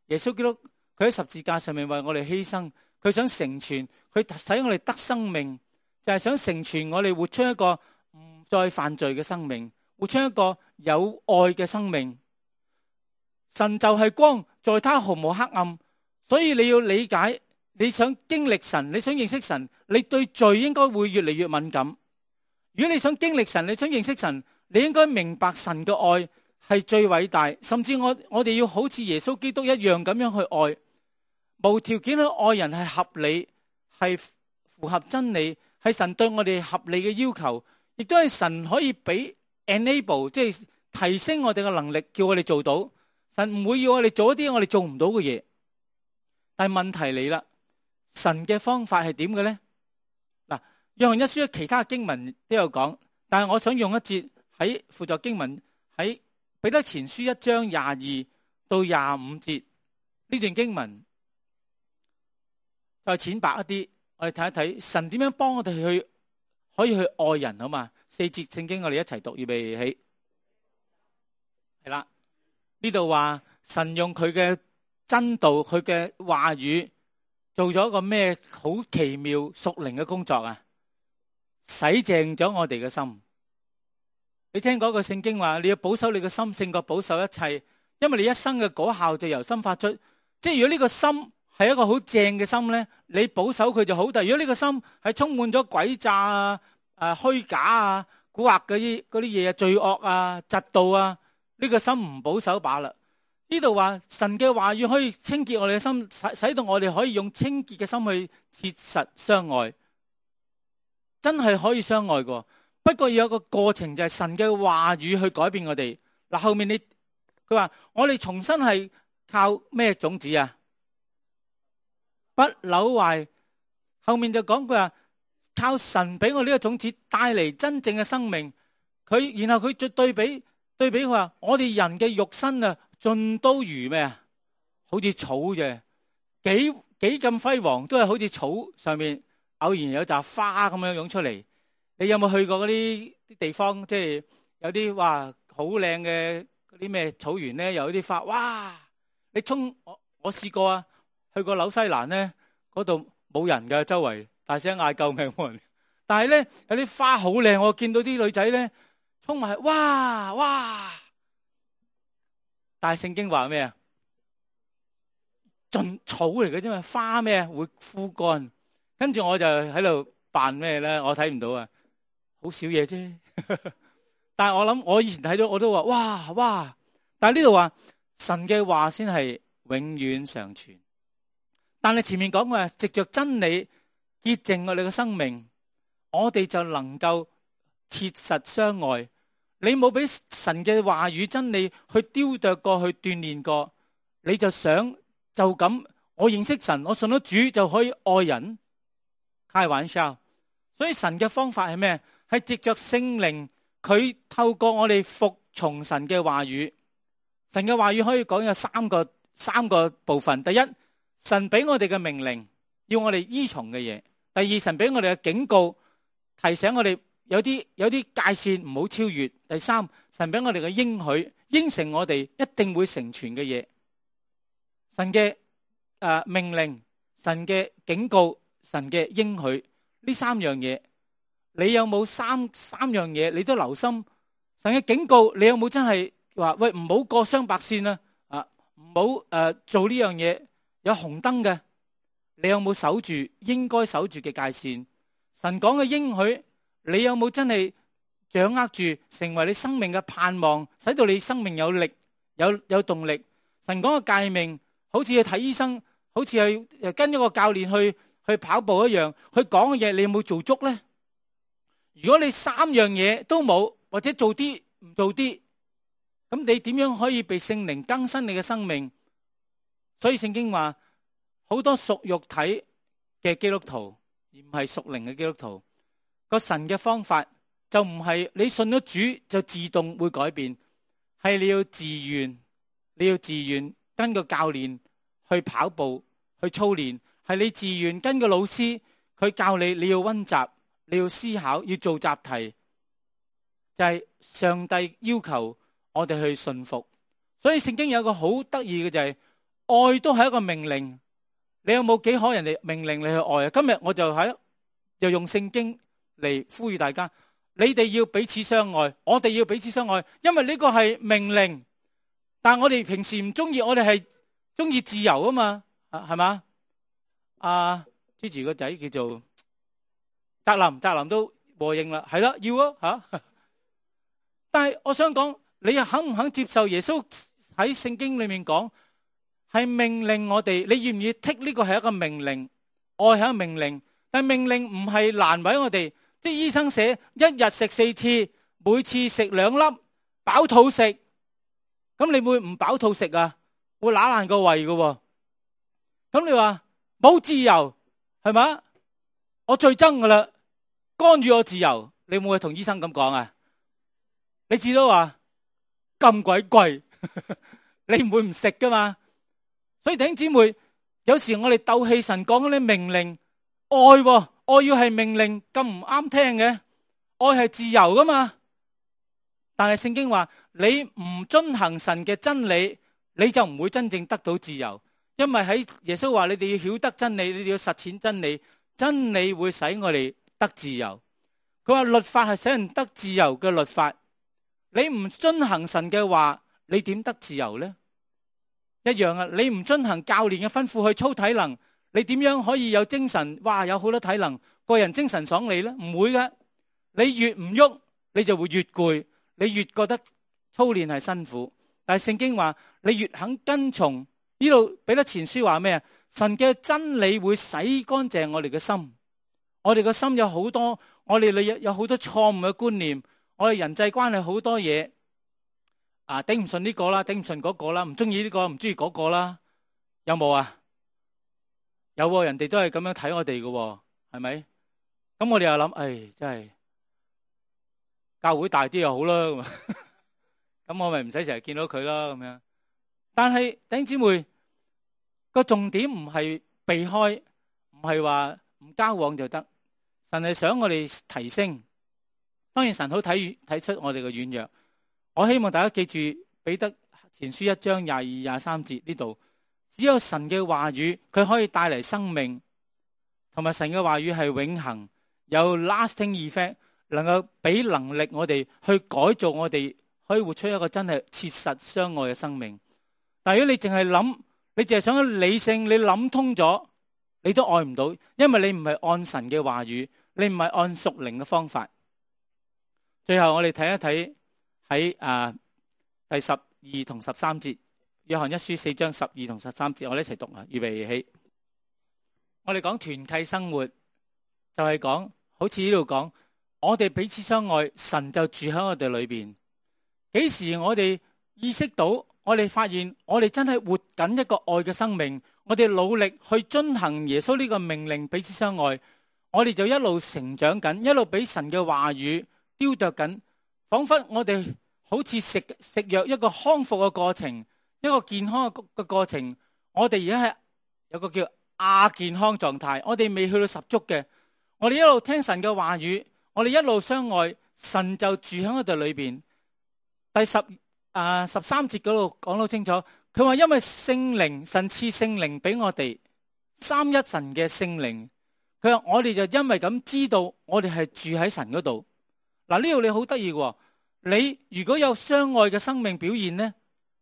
耶穌基督佢喺十字架上面為我哋犧牲，佢想成全，佢使我哋得生命，就係想成全我哋活出一個唔再犯罪嘅生命，活出一個有愛嘅生命。神就係光，在他毫無黑暗，所以你要理解，你想經歷神，你想認識神，你對罪應該會越嚟越敏感。如果你想經歷神，你想認識神，你應該明白神嘅愛係最偉大，甚至我哋要好似耶穌基督一樣咁樣去愛，無條件去愛人，係合理，係符合真理，係神對我哋合理嘅要求，亦都係神可以俾 enable， 即係提升我哋嘅能力，叫我哋做到。神唔會要我哋做一啲我哋做唔到嘅嘢。但係問題嚟啦，神嘅方法係點嘅咧？嗱，約翰一書其他經文都有講，但係我想用一節喺輔助經文，喺彼得前書1章22到25節呢段經文，再淺白一啲，我哋睇一睇神點樣幫我哋可以去愛人，好嘛？4節聖經我哋一齊讀，預備起，係啦。呢度話神用佢嘅真道，佢嘅話語做咗一個咩好奇妙屬靈嘅工作啊？洗淨咗我哋嘅心。你聽嗰個聖經話，你要保守你嘅心勝過保守一切，因為你一生嘅果效就由心發出。即係如果呢個心係一個好正嘅心咧，你保守佢就好。但係如果呢個心係充滿咗詭詐啊、虛假啊、蠱惑嗰啲嘢啊、罪惡啊、嫉妒啊，呢個心唔保守罷啦。呢度話神嘅話語可以清潔我哋嘅心，使到我哋可以用清潔嘅心去切實相愛，真係可以相愛嘅。不過要有個過程，就係神嘅話語去改變我哋。嗱，後面佢話我哋重新係靠咩種子啊？不朽壞。後面就講佢話靠神俾我呢個種子帶嚟真正嘅生命。然後佢再對比佢話我哋人嘅肉身啊，盡都如咩啊？好似草啫，幾咁輝煌，都係好似草上面偶然有扎花咁樣湧出嚟。你有冇去過嗰啲地方？即係有啲哇好靚嘅嗰啲咩草原咧，有啲花，哇！你我試過啊，去過紐西蘭咧，嗰度冇人嘅，周圍大聲嗌救命冇人。但係咧有啲花好靚，我見到啲女仔咧衝埋，哇！但係聖經話咩啊？盡草嚟嘅啫嘛，花咩會枯乾。跟住我就喺度扮咩咧？我睇唔到啊，好少嘢啫。但係我諗，我以前睇到我都話哇！但係呢度話神嘅話先係永遠常存。但係前面講嘅藉着真理潔淨我哋嘅生命，我哋就能夠切實相愛。你冇俾神嘅話語真理去雕琢過，去鍛煉過，你就想就咁我認識神，我信咗主就可以愛人？開玩笑。所以神嘅方法係咩？係藉着聖靈，佢透過我哋服從神嘅話語。神嘅話語可以講有三個部分。第一，神俾我哋嘅命令，要我哋依從嘅嘢。第二，神俾我哋嘅警告，提醒我哋有啲界線唔好超越。第三，神俾我哋嘅應許，應承我哋一定會成全嘅嘢。神嘅命令，神嘅警告，神嘅應許，呢三樣嘢，你有冇三樣嘢你都留心？神嘅警告，你有冇真係話喂，唔好過雙白線啊，唔好做呢樣嘢，有紅燈嘅。你有冇守住應該守住嘅界線？神講嘅應許，你有冇真係掌握住，成為你生命嘅盼望，使到你生命有力、有動力？神講嘅誡命，好似去睇醫生，好似去跟一個教練去跑步一樣，佢講嘅嘢你有冇做足呢？如果你三樣嘢都冇，或者做啲唔做啲，咁你點樣可以被聖靈更新你嘅生命？所以聖經話，好多屬肉體嘅基督徒，而唔係屬靈嘅基督徒。個神嘅方法就唔係你信咗主就自動會改變，係你要自願跟個教練去跑步去操練，係你自願跟個老師佢教你，你要溫習，你要思考，要做習題，就係上帝要求我哋去順服。所以聖經有一個好得意嘅就係，愛都係一個命令。你有冇幾可人哋命令你去愛啊？今日我就用聖經嚟呼籲大家，你哋要彼此相愛，我哋要彼此相愛，因為呢個係命令。但係我哋平時唔中意，我哋係中意自由啊嘛，係嘛？Gigi 個仔叫做澤林都和應啦，係啦，要啊吓。但係我想講，你又肯唔肯接受耶穌喺聖經裏面講？係命令我哋，你願唔願意剔呢個係一個命令？愛係一個命令，但係命令唔係難為我哋。即係醫生寫一日食4次，每次食2粒，飽肚食。咁你會唔飽肚食啊？會揦爛個胃㗎。咁你話冇自由係嘛？我最憎噶啦，干預我自由。你會唔會同醫生咁講啊？你至多話咁鬼貴，你唔會唔食噶嘛？所以弟兄姊妹，有時我哋鬥氣神講嗰啲命令，愛要係命令，咁唔啱聽嘅。愛係自由噶嘛？但係聖經話，你唔遵行神嘅真理，你就唔會真正得到自由。因為喺耶穌話，你哋要曉得真理，你哋要實踐真理，真理會使我哋得自由。佢話律法係使人得自由嘅律法，你唔遵行神嘅話，你點得自由呢？一樣啊！你唔遵行教練嘅吩咐去操體能，你點樣可以有精神？哇，有好多體能，個人精神爽利呢？唔會嘅。你越唔喐，你就會越攰，你越覺得操練係辛苦。但係聖經話，你越肯跟從，呢度彼得前書話咩啊？神嘅真理會洗乾淨我哋嘅心。我哋嘅心有好多，我哋有好多錯誤嘅觀念，我哋人際關係好多嘢。頂唔順呢個啦，頂唔順嗰個啦，唔中意呢個，唔中意嗰個啦，有冇啊？有，人哋都係咁樣睇我哋嘅，係咪？咁我哋又諗，真係教會大啲又好啦，咁我咪唔使成日見到佢啦，咁樣。但係弟兄姊妹，個重點唔係避開，唔係話唔交往就得。神係想我哋提升，當然神好睇出我哋嘅軟弱。我希望大家記住彼得前書1章22、23節呢度，只有神嘅話語，佢可以帶嚟生命，同埋神嘅話語係永恆，有 lasting effect， 能夠俾能力我哋去改造我哋，可以活出一個真係切實相愛嘅生命。但如果你淨係諗，你淨係想理性，你諗通咗，你都愛唔到，因為你唔係按神嘅話語，你唔係按屬靈嘅方法。最後我哋睇一睇。喺第12同13節，約翰一書4章12同13節，我哋一齊讀啊！預備起，我哋講團契生活，就係講，好似呢度講，我哋彼此相愛，神就住喺我哋裏邊。幾時我哋意識到，我哋發現，我哋真係活緊一個愛嘅生命，我哋努力去遵行耶穌呢個命令，彼此相愛，我哋就一路成長緊，一路俾神嘅話語雕琢緊。仿佛我哋好似食藥一個康復嘅過程，一個健康嘅過程。我哋而家係有個叫亞健康狀態，我哋未去到十足嘅。我哋一路聽神嘅話語，我哋一路相愛，神就住喺我哋裏邊。第13節嗰度講到清楚，佢話因為聖靈，神賜聖靈俾我哋，三一神嘅聖靈。佢話我哋就因為咁知道，我哋係住喺神嗰度。嗱，呢度你好得意嘅，你如果有相愛嘅生命表現呢，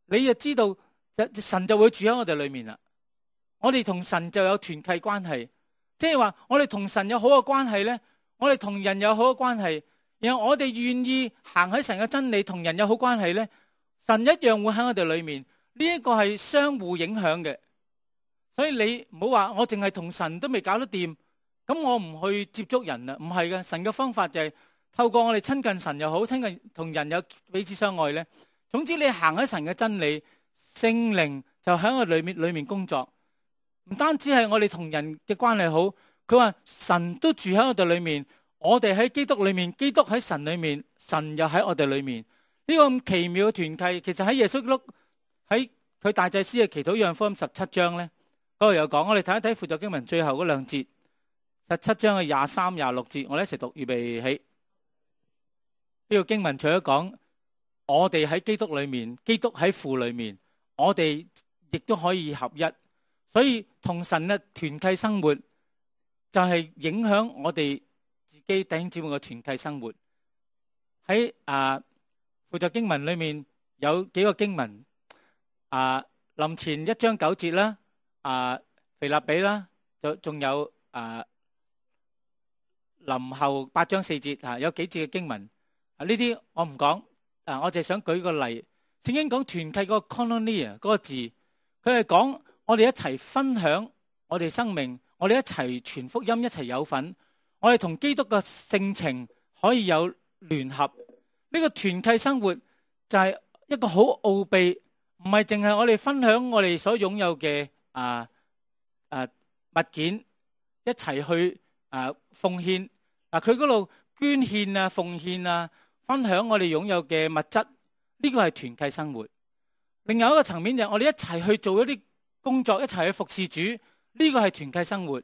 你就知道神就會住喺我哋裏面啦。我哋同神就有團契關係，即係話我哋同神有好嘅關係呢，我哋同人有好嘅關係，然後我哋願意行喺神嘅真理，同人有好關係呢，神一樣會喺我哋裏面。呢一個係相互影響嘅，所以你唔好話我淨係同神都未搞得掂，咁我唔去接觸人啦。唔係嘅，神嘅方法就係透過我哋親近神又好，親近同人有彼此相愛呢。總之你行喺神嘅真理，聖靈就喺我裏面工作。唔單止係我哋同人嘅關係好，佢話神都住喺我哋裏面，我哋喺基督裏面，基督喺神裏面，神又喺我哋裏面。呢個咁奇妙嘅團契，其實喺耶穌基督喺佢大祭司嘅祈禱約翰福音17章咧，嗰度有講。我哋睇一睇輔助經文最後嗰兩節，17章嘅23、26節，我哋一齊讀，預備起。呢個經文除咗講我哋喺基督裏面，基督喺父裏面，我哋亦都可以合一。所以同神嘅團契生活就係影響我哋自己弟兄姊妹嘅團契生活。喺輔助經文裏面有幾個經文。林前1章9節啦，腓立比啦，仲有林後8章4節有幾節嘅經文。呢啲我唔講，我就係想舉個例。聖經講團契嗰個 koinonia 嗰個字，佢係講我哋一齊分享我哋生命，我哋一齊傳福音，一齊有份，我哋同基督嘅性情可以有聯合。呢個團契生活就係一個好奧秘。唔係淨係我哋分享我哋所擁有嘅物件，一齊去奉獻。佢嗰度捐獻啊、奉獻啊，分享我哋擁有嘅物質，呢個係團契生活。另外一個層面就係我哋一齊去做一啲工作，一齊去服侍主，呢個係團契生活。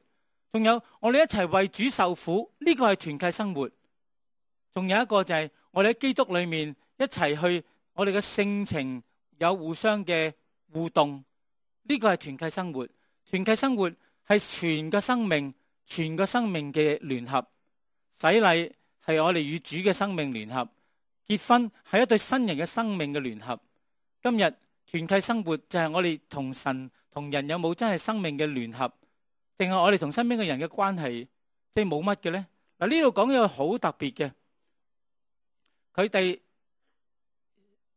仲有我哋一齊為主受苦，呢個係團契生活。仲有一個就係我哋喺基督裏面一齊去，我哋嘅性情有互相嘅互動，呢個係團契生活。團契生活係全個生命嘅聯合。洗禮係我哋與主嘅生命聯合，結婚係一對新人嘅生命嘅聯合。今日團契生活就係我哋同神同人有冇真係生命嘅聯合，定係我哋同身邊嘅人嘅關係即係冇乜嘅咧？嗱，呢度講有好特別嘅，佢哋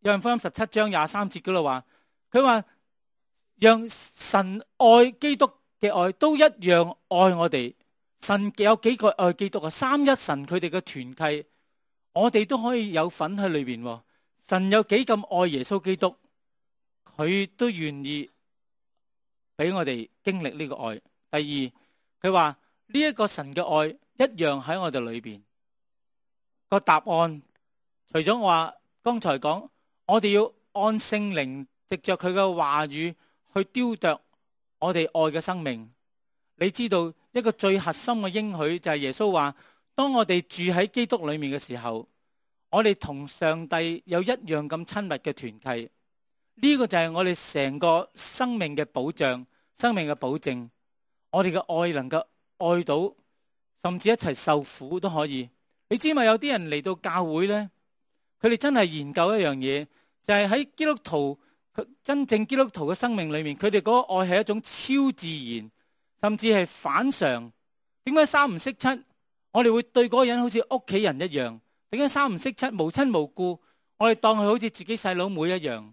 約翰福音17章23節嗰度話，佢話讓神愛基督嘅愛都一樣愛我哋。神有幾個愛基督啊？三一神佢哋嘅團契，我哋都可以有份喺裏邊。神有幾咁愛耶穌基督，佢都願意俾我哋經歷呢個愛。第二，佢話呢一個神嘅愛一樣喺我哋裏邊。個答案除咗我話剛才講，我哋要按聖靈藉着佢嘅話語去雕琢我哋愛嘅生命。你知道一個最核心嘅應許就係耶穌話，當我哋住喺基督裏面嘅時候，我哋同上帝有一樣咁親密嘅團契。呢個就係我哋成個生命嘅保障，生命嘅保證。我哋嘅愛能夠愛到，甚至一齊受苦都可以。你知嘛？有啲人嚟到教會呢，佢哋真係研究一樣嘢，就係喺基督徒真正基督徒嘅生命裏面，佢哋嗰個愛係一種超自然，甚至係反常。點解三唔識七？我哋會對嗰個人好似屋企人一樣。點解三唔識七？無親無故，我哋當佢好似自己細佬妹一樣。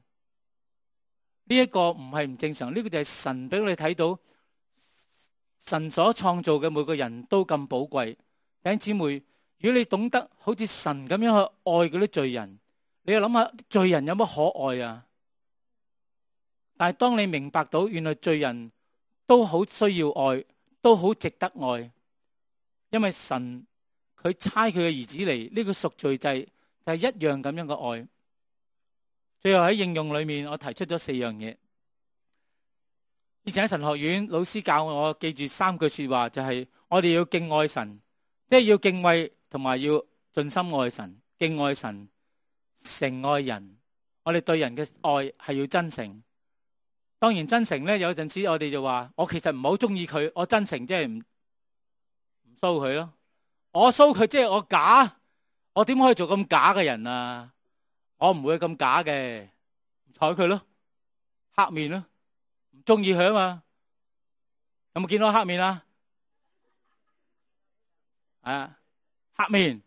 呢一個唔係唔正常，呢個就係神俾我哋睇到，神所創造嘅每個人都咁寶貴。弟兄姊妹，如果你懂得好似神咁樣去愛嗰啲罪人，你要諗下罪人有乜可愛啊？但係當你明白到原來罪人都好需要愛，都好值得愛，因為神佢差佢嘅兒子嚟，呢個贖罪祭就係一樣咁樣嘅愛。最後喺應用裏面，我提出咗4樣嘢。以前喺神學院，老師教我記住3句說話，就係我哋要敬愛神，即係要敬畏同埋要盡心愛神，敬愛神，誠愛人。我哋對人嘅愛係要真誠。當然真誠咧，有陣時我哋就話，我其實唔係好中意佢，我真誠即係唔騷佢咯。我騷佢即係我假，我點可以做咁假嘅人啊？我唔會咁假嘅，唔睬佢咯，黑面咯，唔中意佢啊嘛。有冇見到黑面啊？黑面。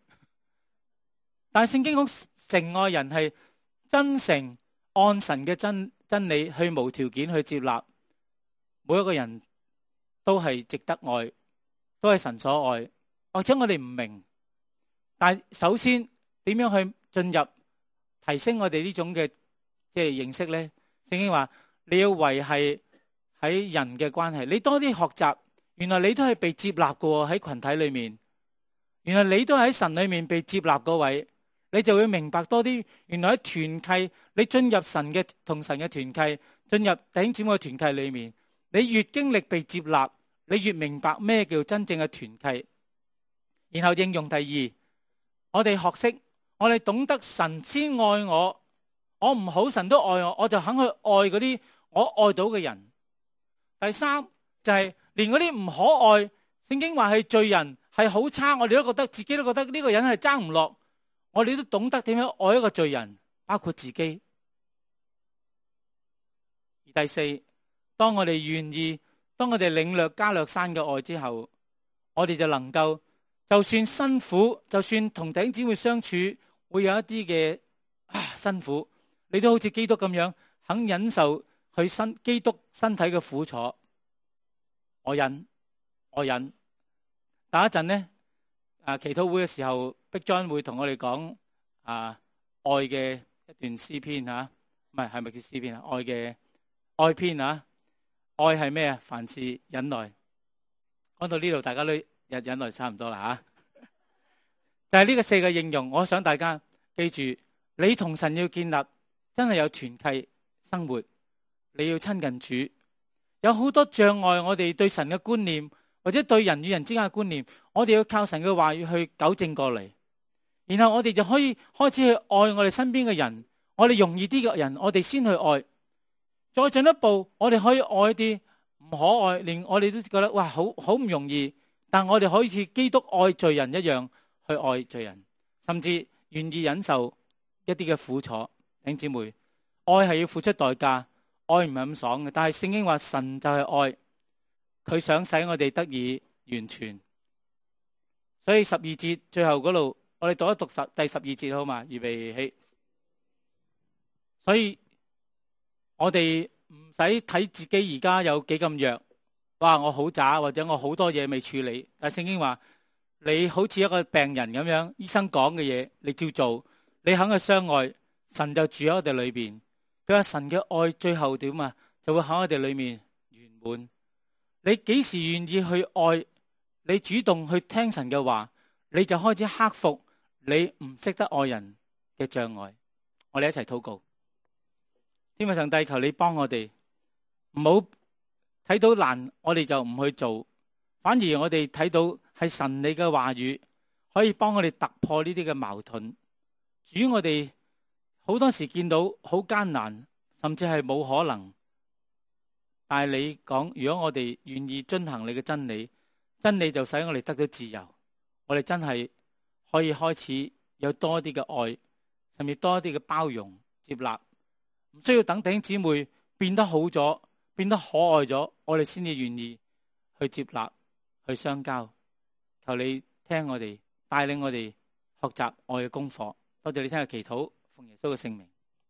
但係聖經講誠愛人係真誠按神嘅真理去無條件去接納，每一個人都係值得愛，都係神所愛。或者我哋唔明，但係首先點樣去進入提升我哋呢種嘅即係認識呢？聖經話你要維繫喺人嘅關係，你多啲學習，原來你都係被接納嘅喺群體裏面，原來你都喺神裏面被接納嗰位，你就會明白多啲。原來喺團契，你進入神嘅同神嘅團契，進入弟兄姊妹嘅團契裏面，你越經歷被接納，你越明白咩叫真正嘅團契。然後應用第二，我哋學識，我哋懂得神先愛我，我唔好神都愛我，我就肯去愛嗰啲我愛到嘅人。第三就係連嗰啲唔可愛，聖經話係罪人，係好差，我哋都覺得自己都覺得呢個人係爭唔落，我哋都懂得點樣愛一個罪人，包括自己。而第四，當我哋願意，當我哋領略加略山嘅愛之後，我哋就能夠就算辛苦，就算同弟兄姊妹相處會有一啲嘅辛苦，你都好似基督咁樣肯忍受佢基督身體嘅苦楚。我忍。等一陣呢，祈禱會嘅時候，Big John會同我哋講愛嘅一段詩篇吓，唔係咪叫詩篇啊？愛嘅愛篇啊，愛係咩啊？凡事忍耐。講到呢度，大家都忍耐差唔多啦吓。就係呢個4個應用，我想大家記住，你同神要建立真係有團契生活，你要親近主。有好多障礙，我哋對神嘅觀念，或者對人與人之間嘅觀念，我哋要靠神嘅話語去糾正過嚟，然後我哋就可以開始去愛我哋身邊嘅人，我哋容易啲嘅人，我哋先去愛。再進一步，我哋可以愛啲唔可愛，連我哋都覺得哇，好唔容易，但我哋可以似基督愛罪人一樣去愛罪人，甚至願意忍受一啲嘅苦楚。弟兄姊妹，愛係要付出代價，愛唔係咁爽嘅，但係聖經話神就係愛，佢想使我哋得以完全。所以12節最後嗰度，我哋讀一讀第12節好嘛？預備起。所以我哋唔使睇自己而家有幾咁弱，哇！我好渣，或者我好多嘢未處理。但係聖經話你好似一個病人咁樣，醫生講嘅嘢你照做，你肯去相愛，神就住喺我哋裏邊。佢話神嘅愛最後點啊？就會喺我哋裏面圓滿。你幾時願意去愛？你主動去聽神嘅話，你就開始克服你唔識得愛人嘅障礙。我哋一齊禱告。天父上帝，求你幫我哋，唔好睇到難，我哋就唔去做，反而我哋睇到係神你嘅話語可以幫我哋突破呢啲嘅矛盾。主，我哋好多時見到好艱難，甚至係冇可能。但係你講，如果我哋願意遵行你嘅真理，真理就使我哋得到自由。我哋真係可以開始有多啲嘅愛，甚至多啲嘅包容接納，唔需要等弟兄姊妹變得好咗，變得可愛咗，我哋先至願意去接納，去相交。求你聽我哋，帶領我哋學習愛嘅功課。多謝你聽日祈禱，奉耶穌嘅聖名。